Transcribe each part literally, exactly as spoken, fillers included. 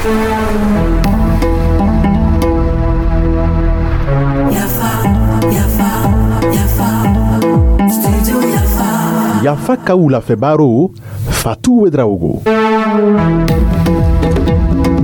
Yafa, Yafa, Yafa, Studio Yafa. Yafa ka wulafɛ baro, Fatu Ouédraogo.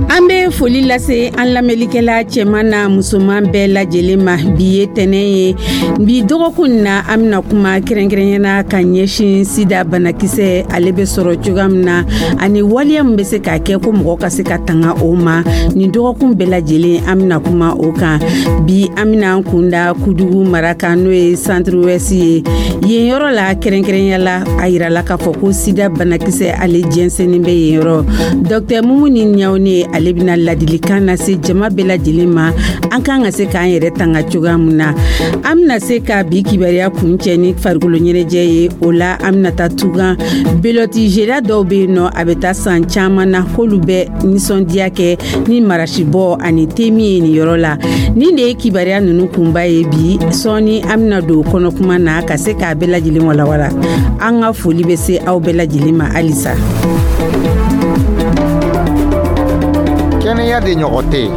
An bɛ foli lase an lamɛnlikɛla cɛman na musoman bɛɛ lajɛlen ma. Bi ye tɛnɛ ye. Bi dɔgɔkun na, an bɛna kuma kɛrɛnkɛrɛnyana ka ɲɛsin sida banakisɛ, ale bɛ sɔrɔ cogoya min na ani waleya min bɛ se k'a kɛ ko mɔgɔ ka se ka tanga o ma. Nin dɔgɔkun bɛɛ lajɛlen, an bɛna kuma o kan. Bi, an bɛna an kunda Kudugu mara kan, n'o ye Centre Ouest ye. Yen yɔrɔ la, kɛrɛnkɛrɛnya la, a yirala k'a fɔ ko sida banakisɛ, ale jɛnsɛnnin bɛ yen yɔrɔ. Docteur Mumuni Ɲawune, ale bɛna ladilikan lase jama bɛɛ lajɛlen ma, an kan ka se k'an yɛrɛ tanga cogoya min na. An bɛna se ka bi kibaruya kuncɛ ni farikolo ɲɛnajɛ ye. O la, an bɛna taa tugan belote jela dɔw bɛ yen nɔ, a bɛ taa san caman na, k'olu bɛ nisɔndiya kɛ ni marasibɔ ani temi ye nin yɔrɔ la. Nin de ye kibaruya ninnu kunba ye bi. Sɔɔni, an bɛna don kɔnɔkuma na ka se k'a bɛɛ lajɛlen walawala. An ka foli bɛ se aw bɛɛ lajɛlen ma halisa. Kɛnɛya de ɲɔgɔn tɛ yen.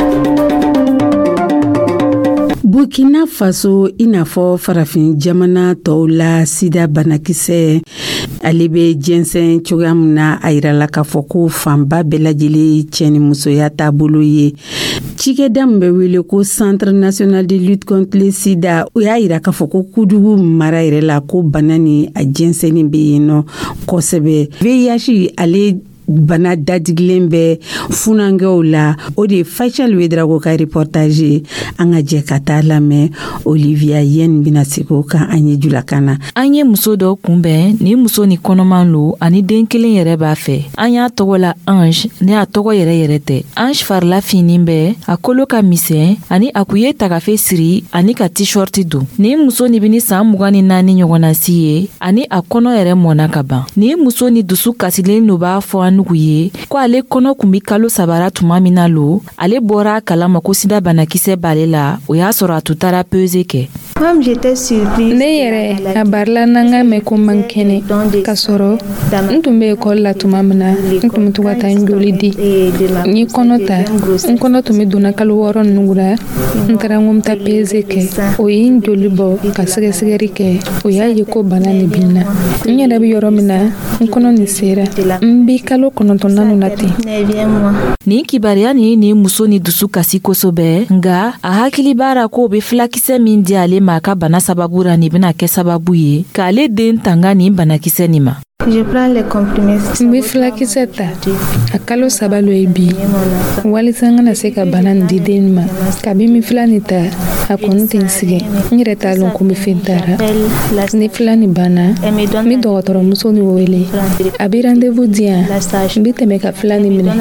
Burkina Faso, i n'a fɔ farafin jamana tɔw la, sida banakisɛ, ale bɛ jɛnsɛn cogoya min na, a yirala k'a fɔ ko fanba bɛɛ lajɛlen cɛ ni musoya taabolo ye. Cikɛda min bɛ wele ko Centre national de lutte contre le sida, o y'a yira k'a fɔ ko Kudugu mara yɛrɛ la, ko bana ni a jɛnsɛnni bɛ yen nɔ kosɛbɛ. V I H, ale bana dadigilen bɛ funankɛw la. O de ye Faisal Ouédraogo ka reportage ye. An ka jɛ ka taa lamɛn. Olivia Yen bɛna segin o kan an ye julakan na. An ye muso dɔ kunbɛn. Nin muso ni kɔnɔman lo, ani den kelen yɛrɛ b'a fɛ. An y'a tɔgɔ la Ange, ne a tɔgɔ yɛrɛ yɛrɛ tɛ. Ange farila finnin bɛ, a kolo ka misɛn, ani a kun ye tagafe siri ani ka t-shirt don. Nin muso ni bini saan mugan ni naani ɲɔgɔnna si ye, ani a kɔnɔ yɛrɛ mɔnna ka ban. Nin muso ni dusu kasilen lo b'a fɔ an nugu ye ko ale kɔnɔ kun bi kalo sabara tuma min na lo, ale bɔra a kalama ko sida banakisɛ b'ale la. O y'a sɔrɔ a tun taara pesée kɛ. Ne yɛrɛ, a barila n'an ka mɛn ko man kɛnɛ, k'a sɔrɔ n tun bɛ ekɔli la tuma min na, n tun bɛ to ka taa n joli di. N ye kɔnɔ ta, n kɔnɔ tun bɛ donna kalo wɔɔrɔ ninnu la. N taara n ko n bɛ taa pesée kɛ. O ye n joli bɔ ka sɛgɛsɛgɛli kɛ. O y'a ye ko bana nin bɛ n na. N yɛrɛ bɛ yɔrɔ min na, n kɔnɔ nin sera, n bɛ kalo kɔnɔntɔnnan na ten. Nin kibaruya nin ye nin muso ni dusu kasi kosɛbɛ, nga a hakili b'a ra k'o be filakisɛ min di ale ma a ka bana sababu ra, nin bena kɛ sababu ye k'ale den tanga nin banakisɛ nin ma. N bɛ filakisɛ ta a kalo saba lo ye bi, walisa n kana se ka bana nin di den ma. Kabi n bɛ fila nin ta, a kɔni tɛ n sɛgɛn. N yɛrɛ t'a lɔn ko n bɛ fɛn tara. Ni fila nin banna, n bɛ dɔgɔtɔrɔmuso nin wele, a bɛ rendez-vous di yan, n bɛ tɛmɛ ka fila nin minɛ.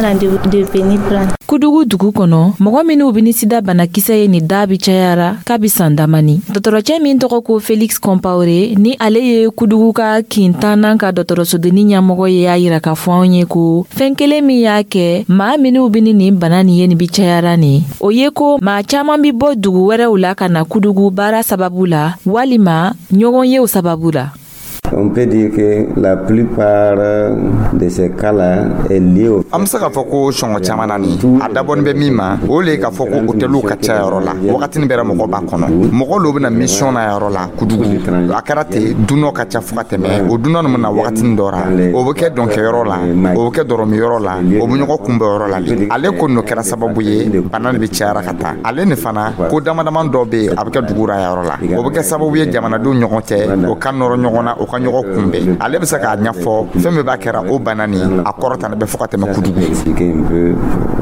Kudugu dugu kɔnɔ, mɔgɔ minw be ni sida banakisɛ ye nin da bi cayara kabi san damani. Dɔgɔtɔrɔcɛ min tɔgɔ ko Felix Compaoré, ni ale ye Kudugu ka kintannan ka dɔgɔtɔrɔsodenni ɲɛmɔgɔ ye, y'a yira k'a fɔ anw ye ko fɛn kelen min y'a kɛ maa minw be ni nin bana nin ye nin bi cayara nin, o ye ko maa caaman bi bɔ dugu wɛrɛw la ka na Kudugu baara sababu la walima ɲɔgɔn yew sababu la. On peut dire que la plupart de ces cas-là est liée au An be se k'a fɔ ko sɔngɔ caman na nin, a dabɔnin bɛ min ma, o le ye k'a fɔ ko hôteliw ka ca yɔrɔ la, wagatinin bɛɛ mɔgɔ b'a kɔnɔ, mɔgɔ lo bɛna mission na yɔrɔ la Kudugu. A kɛra ten, dunɔ ka ca fo ka tɛmɛ o dunɔ nin bɛna wagatinin dɔ ra, o bɛ kɛ dɔnkɛyɔrɔ la, o bɛ kɛ dɔrɔmiyɔrɔ la, o bɛ ɲɔgɔn kunbɛ yɔrɔ la le. Ale ko n'o kɛra sababu ye, bana nin bɛ cayara ka taa. Ale nin fana, ko dama dama dɔ bɛ yen, a bɛ kɛ dugu ra yɔrɔ la, o bɛ kɛ sababu ye jamanadenw ɲɔgɔn cɛ, o ka nɔrɔ ɲɔgɔn na, o ka ɲɔgɔn kunbɛn. Ale bɛ se k'a ɲɛfɔ fɛn min b'a kɛra o bana nin a kɔrɔta bɛ fo ka tɛmɛ Kudugu. Expliquer un peu,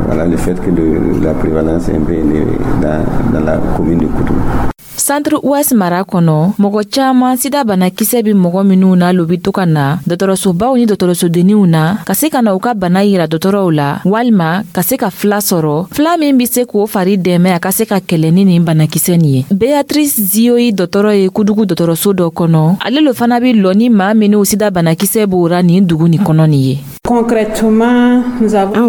voilà, le fait que le, la prévalence est un peu élevée dans, dans la commune de Koudougou. Centre Ouest mara kɔnɔ, mɔgɔ caaman sida banakisɛ be mɔgɔ minw na lo be to ka na dɔgɔtɔrɔsobaw ni dɔgɔtɔrɔsodenninw na ka se ka na u ka bana yira dɔgɔtɔrɔw la, walima ka se ka fila sɔrɔ, fila min be se k'o fari dɛmɛ a ka se ka kɛlɛ ni nin banakisɛ nin ye. Beatrice Zioyi, dɔgɔtɔrɔ ye Kudugu dɔgɔtɔrɔso dɔ kɔnɔ, ale lo fana be lɔ ni maa minw sida banakisɛ b'o ra nin dugu nin kɔnɔ nin ye. Anw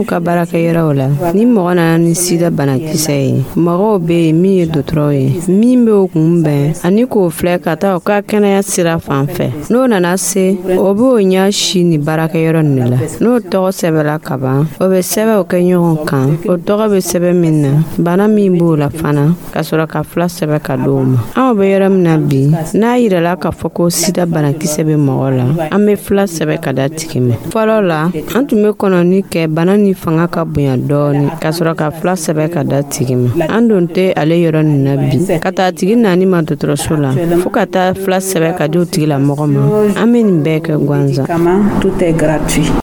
ka baarakɛyɔrɔw la, ni mɔgɔ nana ni sida banakisɛ ye, mɔgɔw bɛ yen min ye dɔgɔtɔrɔw ye, min bɛ o k'o kunbɛn ani k'o filɛ ka taa o ka kɛnɛya sira fan fɛ. N'o nana se, o b'o ɲɛ si ni baarakɛyɔrɔ nin de la. N'o tɔgɔ sɛbɛla ka ban, o bɛ sɛbɛnw kɛ ɲɔgɔn kan, o tɔgɔ bɛ sɛbɛn min na, bana min b'o la fana, ka sɔrɔ ka fila sɛbɛn ka d'o ma. Anw bɛ yɔrɔ min na bi, n'a yirala k'a fɔ ko sida banakisɛ bɛ mɔgɔ la, an bɛ fila sɛbɛn ka da tigi ma. Fɔlɔ la, an tun bɛ kɔnɔni kɛ bana ni fanga ka bonya dɔɔni, ka sɔrɔ ka fila sɛbɛn ka da tigi ma. An don tɛ ale yɔrɔ nin na bi, ka taa tigi nani ma dɔgɔtɔrɔso la, fo ka taa fila sɛbɛn ka di o tigilamɔgɔ ma. An bɛ nin bɛɛ kɛ gansan.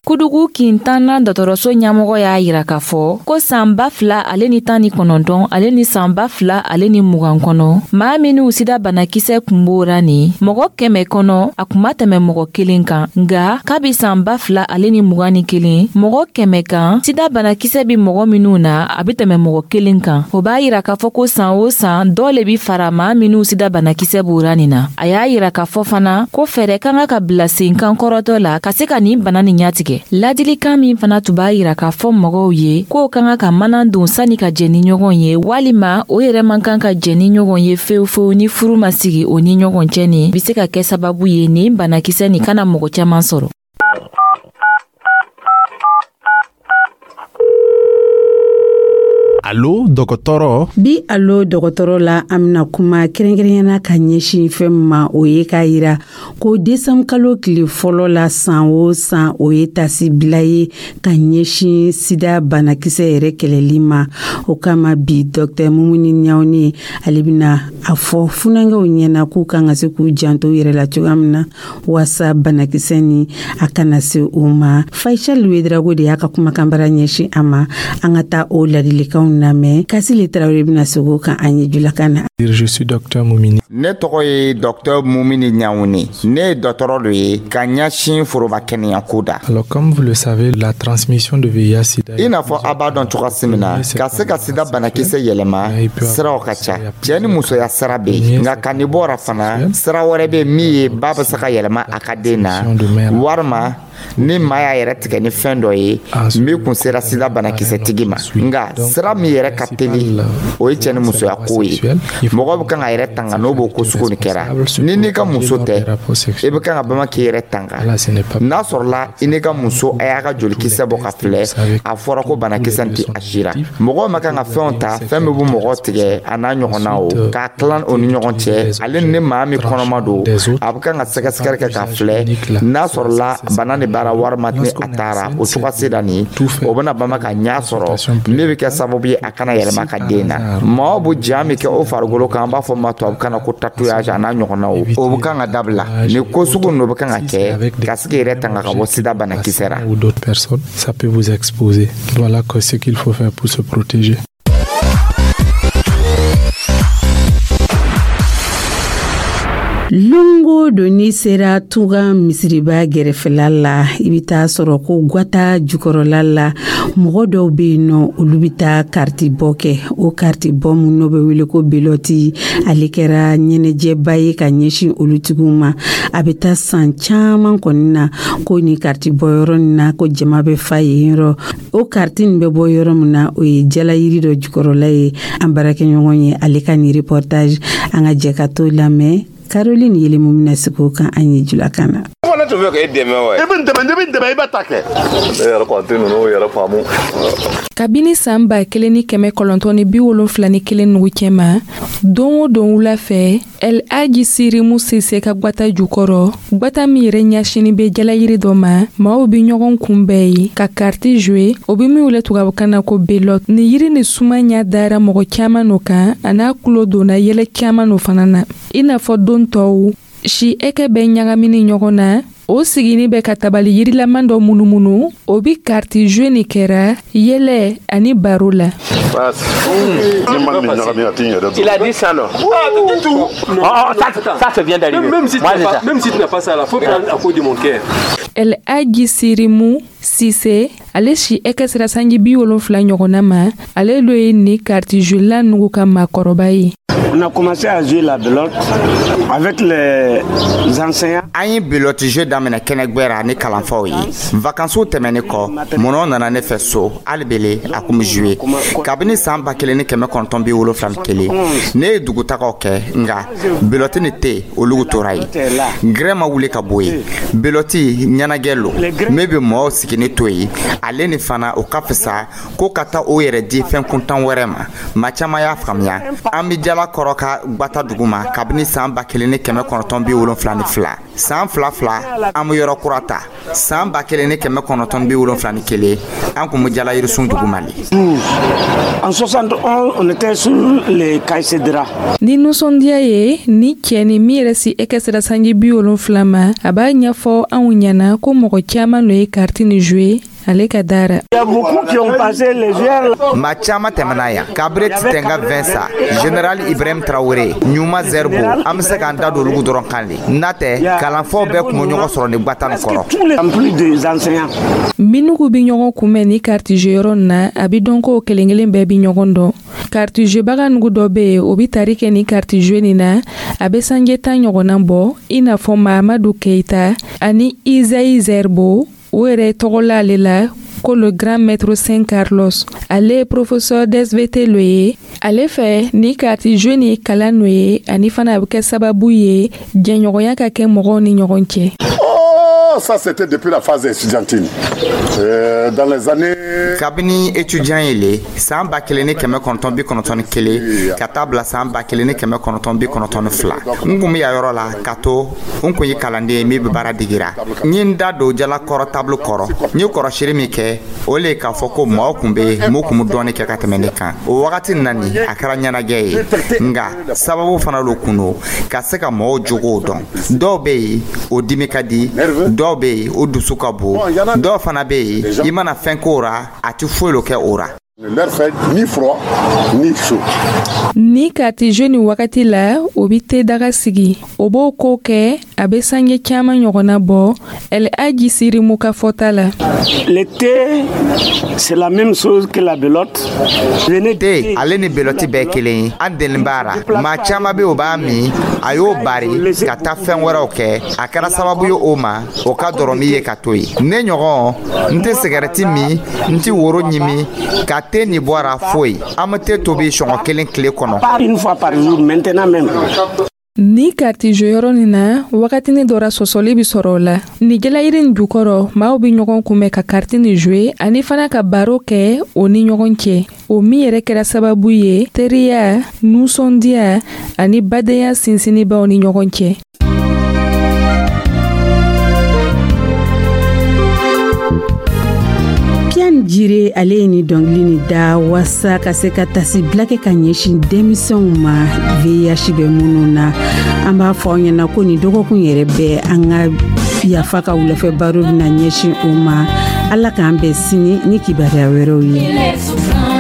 Kudugu kintanna dɔgɔtɔrɔso ɲɛmɔgɔ y'a yira k'a fɔ ko san ba fila ale ni tan ni kɔnɔntɔn ale ni san ba fila ale ni mugan kɔnɔ, maa minnu sida banakisɛ kun b'ora nin mɔgɔ kɛmɛ kɔnɔ, a kun ma tɛmɛ mɔgɔ kelen kan. Nga kabi san ba fila ale ni mugan ni kelen, mɔgɔ kɛmɛ kan, sida banakisɛ bi mɔgɔ minnu na, a be tɛmɛ mɔgɔ kelen kan. O b'a yira k'a fɔ ko san o san dɔ le bi fara maa minnu sida banakisɛ b'ora nin na. A y'a yira k'a fɔ fana ko fɛɛrɛ ka kan ka bila sen kan kɔrɔtɔ la ka se ka nin bana nin ɲatigɛ. Ladilikan min fana tun b'a yira k'a fɔ mɔgɔw ye k'o ka kan ka mana don sanni ka jɛ ni ɲɔgɔn ye, walima o yɛrɛ man kan ka jɛ ni ɲɔgɔn ye fewu fewu ni furu ma sigi o ni ɲɔgɔn cɛ, nin be se ka kɛ sababu ye nin banakisɛ nin kana mɔgɔ caaman sɔrɔ. Alo dɔgɔtɔrɔ. Bi alo dɔgɔtɔrɔ la, an bɛna kuma kɛrɛnkɛrɛnyana ka ɲɛsin fɛn ma, o ye k'a yira ko desanburu kalo tile fɔlɔ la san o san, o ye tasibila ye ka ɲɛsin sida banakisɛ yɛrɛ kɛlɛli ma. O kama bi, dɔkitɛr Mumuni Ɲawune, ale bɛna a fɔ funankɛw ɲɛna k'u kan ka se k'u janto u yɛrɛ la cogoya min na waasa banakisɛ ni a kana se u ma. Faisal Wedrago de y'a ka kumakanbara ɲɛsin a ma. An ka taa o ladilikanw lamɛn. Kasile Tarawele bɛna segin o kan an ye julakan na. Je suis docteur Mumini. Ne tɔgɔ ye docteur Mumini Ɲawune. Ne ye dɔgɔtɔrɔ dɔ ye ka ɲɛsin foroba kɛnɛya ko da. Alors, comme vous le savez, la transmission de V I H sida. I n'a fɔ a b'a dɔn cogoya min na, ka se ka sida banakisɛ yɛlɛma, siraw ka ca. Cɛ ni musoya sira bɛ yen, nka ka nin bɔra fana, sira wɛrɛ bɛ min ye ba bɛ se ka yɛlɛma a ka den na, walima ni maa y'a yɛrɛ tigɛ ni fɛn dɔ ye min kun sera sida banakisɛtigi ma. Nka sira min yɛrɛ ka teli, o ye cɛ ni musoya ko ye. Mɔgɔ bɛ kan ka yɛrɛ tanga n'o b'o ko sugu nin kɛra. Ni n'i ka muso tɛ, i bɛ kan ka bama k'i yɛrɛ tanga. N'a sɔrɔla i n'i ka muso a y'a ka jolikisɛ bɔ ka filɛ, a fɔra ko banakisɛ tɛ a sira. Mɔgɔw ma kan ka fɛnw ta, fɛn min bɛ mɔgɔ tigɛ a n'a ɲɔgɔnna, o k'a tilan o ni ɲɔgɔn cɛ. Ale ni maa min kɔnɔma don, a bɛ kan ka sɛgɛsɛgɛli kɛ k'a filɛ n'a sɔrɔla bana de baara walima ni a taara o cogoya sera nin, o bɛna bama ka ɲɛ sɔrɔ min bɛ kɛ sababu ye a kana yɛlɛma ka den na. Maaw bɛ ja min kɛ o farikolo kan, an b'a fɔ ma tubabukan na ko tatouage a n'a ɲɔgɔnnaw, o bɛ kan ka dabila. Nin ko sugu ninnu bɛ kan ka kɛ ka se k'i yɛrɛ tanga ka bɔ sida banakisɛ la. Ou d'autres personnes, ça peut vous exposer. Voilà ce qu'il faut faire pour se protéger. Longo don, n'i sera tunga misiriba gɛrɛfɛla la, i bɛ taa sɔrɔ ko gwata jukɔrɔla la, mɔgɔ dɔw bɛ yen nɔ, olu bɛ taa kariti bɔ kɛ. O kariti bɔ min n'o bɛ wele ko belɔti, ale kɛra ɲɛnajɛba ye ka ɲɛsin olu tigiw ma. A bɛ taa san caman kɔni na ko nin kariti bɔ yɔrɔ nin na, ko jama bɛ fa yen yɔrɔ. O kariti nin bɛ bɔ yɔrɔ min na, o ye jalayiri dɔ jukɔrɔla ye. An baarakɛɲɔgɔn ye ale ka nin reportage, an ka jɛ ka t'o lamɛn. Caroline Yelemu bɛna sigi o kan an ye julakan na. Ne tun bɛ k'e dɛmɛ wa? I bɛ n dɛmɛ, ne bɛ n dɛmɛ, i bɛ ta kɛ. Ne yɛrɛ kɔni tɛ ninnu yɛrɛ faamu. Kabini san ba kelen ni kɛmɛ kɔnɔntɔn ni bi wolonfila ni kelen nugu cɛma, don o don wula fɛ, El Hadji Sirimu Sise ka gwata jukɔrɔ, gwata min yɛrɛ ɲɛsinin bɛ jalayiri dɔ ma, maaw bɛ ɲɔgɔn kunbɛn ye ka kariti jouer, o bɛ min wele tubabukan na ko belote. Nin yiri ni suma ɲɛ dara mɔgɔ caman no kan, a n'a kulo donna yɛlɛ caman no fana na. I n'a fɔ don tɔw, si ɛkɛ bɛ ɲagamini ɲɔgɔn na, o sigini bɛ ka tabali yirilaman dɔ munumunu, o bi kariti jouer nin kɛra yɛlɛ ani baro la. Il a dit ça, non? Ah, tout. Non, oh, ça, ça, ça vient d'arriver. Même si tu n'as pas, même si tu n'as pas ça là, faut prendre à cause de mon cœur. El Hadji Sirimu Sise, ale si ɛkɛ sera sanji bi wolonfila ɲɔgɔnna ma, ale lo ye ni kariti jouer nugu ka maakɔrɔba ye. On a commencé à jouer la belote avec les enseignants. An ye belote jeu daminɛ kɛnɛgbɛ ra ni kalanfaw ye. Vakansiw tɛmɛni kɔ, mɔnɔ nana ne fɛ so, hali bele a kun bɛ jouer. Kabini san ba kelen ni kɛmɛ kɔnɔntɔn bi wolonfila ni kelen, ne ye dugutagaw kɛ, nka belote ni te olugu tora yen. Gɛrɛ ma wuli ka bɔ yen. Belote ɲɛnajɛ lo min bɛ mɔgɔw sigini to yen, ale ni fana o ka fisa ko ka taa o yɛrɛ di fɛn kuntan wɛrɛ ma. Maa caman y'a faamuya. An bɛ jala kɔrɔ ka gbata dugu ma kabini san ba kelen ni kɛmɛ kɔnɔntɔn bi wolonfila ni fila. San fila fila, an bɛ yɔrɔ kura ta. San ba kelen ni kɛmɛ kɔnɔntɔn bi wolonfila ni kelen, an kun bɛ jala yirisun dugu ma le. En soixante et onze, on était sur les Caïcédra. Ni nisɔndiya ye, ni cɛ ni min yɛrɛ si e kɛ sera sanji bi wolonfila ma, a b'a ɲɛfɔ anw ɲɛna ko mɔgɔ caaman lo ye kariti ni jouer ale ka dara. Il y a beaucoup qui ont passé les joueurs. Maa caman tɛmɛna yan. Kabire Titenga Vincent, Général Ibrahim Traoré, Ɲuma Zerbo, an bɛ se k'an da don olugu dɔrɔn kan le. N'a tɛ, kalanfaw bɛɛ kun bɛ ɲɔgɔn sɔrɔ ni gbata nin kɔrɔ. Tous les en plus des enseignants. Minnugu bi ɲɔgɔn kunbɛn ni kariti jouer yɔrɔ na, a bi dɔn ko kelen kelen bɛɛ bi ɲɔgɔn dɔn. Kariti jouer nugu dɔ be yen, o bi tari kɛ ni kariti jouer nin na, a be sanje tan ɲɔgɔnna bɔ, i n'a fɔ Mahamadu Keyita ani Izayi Zerbo. O yɛrɛ tɔgɔla ale la ko le grand maître Saint Carlos. Ale ye professeur d'S V T lo ye. Ale fɛ, ni kariti jouer ni kalan no ye, ani fana a bɛ kɛ sababu ye jɛɲɔgɔnya ka kɛ mɔgɔw ni ɲɔgɔn cɛ. Oh, ça c'était depuis la phase estudiantine. Euh, dans les années. Kabini étudiant ye le, san ba kelen ni kɛmɛ kɔnɔntɔn bi kɔnɔntɔn ni kelen ka taa bila san ba kelen ni kɛmɛ kɔnɔntɔn bi kɔnɔntɔn ni fila, n kun bɛ yan yɔrɔ la ka to n kun ye kalanden ye min bɛ baara digira. N ye n da don jalakɔrɔ tableau kɔrɔ, n ye kɔrɔsiri min kɛ, o le ye k'a fɔ ko maaw kun bɛ yen mun kun bɛ dɔɔni kɛ ka tɛmɛ ne kan. O wagati na nin, a kɛra ɲɛnajɛ ye, nka sababu fana lo kun don ka se ka mɔgɔw jogow dɔn. Dɔw bɛ yen, o dimi ka di, dɔw bɛ yen, o dusu ka bon, dɔw fana bɛ yen, i mana fɛn k'o ra, a tɛ foyi lo kɛ o ra. Ne leur fait ni froid ni chaud. Ni kariti jouer nin wagati la, o bi te daga sigi, o b'o ko kɛ, a be sange caaman ɲɔgɔnna bɔ. El Aji Sirimu ka fɔta la. Le thé, c'est la même chose que la belote. Venez. Te, ale ni belɔti bɛɛ kelen ye. An deli b'a ra. Maa caman bɛ, o b'a min, a y'o bari ka taa fɛn wɛrɛw kɛ. A kɛra sababu ye o ma o ka dɔrɔmi ye ka to yen. Ne ɲɔgɔn, n tɛ sigɛrɛti min, n tɛ woro ɲimi ka te nin bɔra foyi. An bɛ te tobi sɔngɔ kelen tile kɔnɔ. Une fois par jour, maintenant même. Ni kariti jouer yɔrɔ nin na, wagatini dɔ ra, sɔsɔli bi sɔrɔ o la. Ni jalayiri nin jukɔrɔ, maaw bi ɲɔgɔn kunbɛn ka kariti nin jouer ani fana ka baro kɛ o ni ɲɔgɔn cɛ, o min yɛrɛ kɛra sababu ye teriya, nusɔndiya ani badenya sinsinnibaw ni ɲɔgɔn cɛ. Pian Jire, ale ye ni dɔnkili ni da waasa ka se ka tasibila kɛ ka ɲɛsin denmisɛnw ma V I H bɛ minnu na. An b'a fɔ aw ɲɛna ko nin dɔgɔkun yɛrɛ bɛɛ, an ka Yafa ka wulafɛ baro bɛna ɲɛsin o ma. Ala k'an bɛn sini ni kibaruya wɛrɛw ye.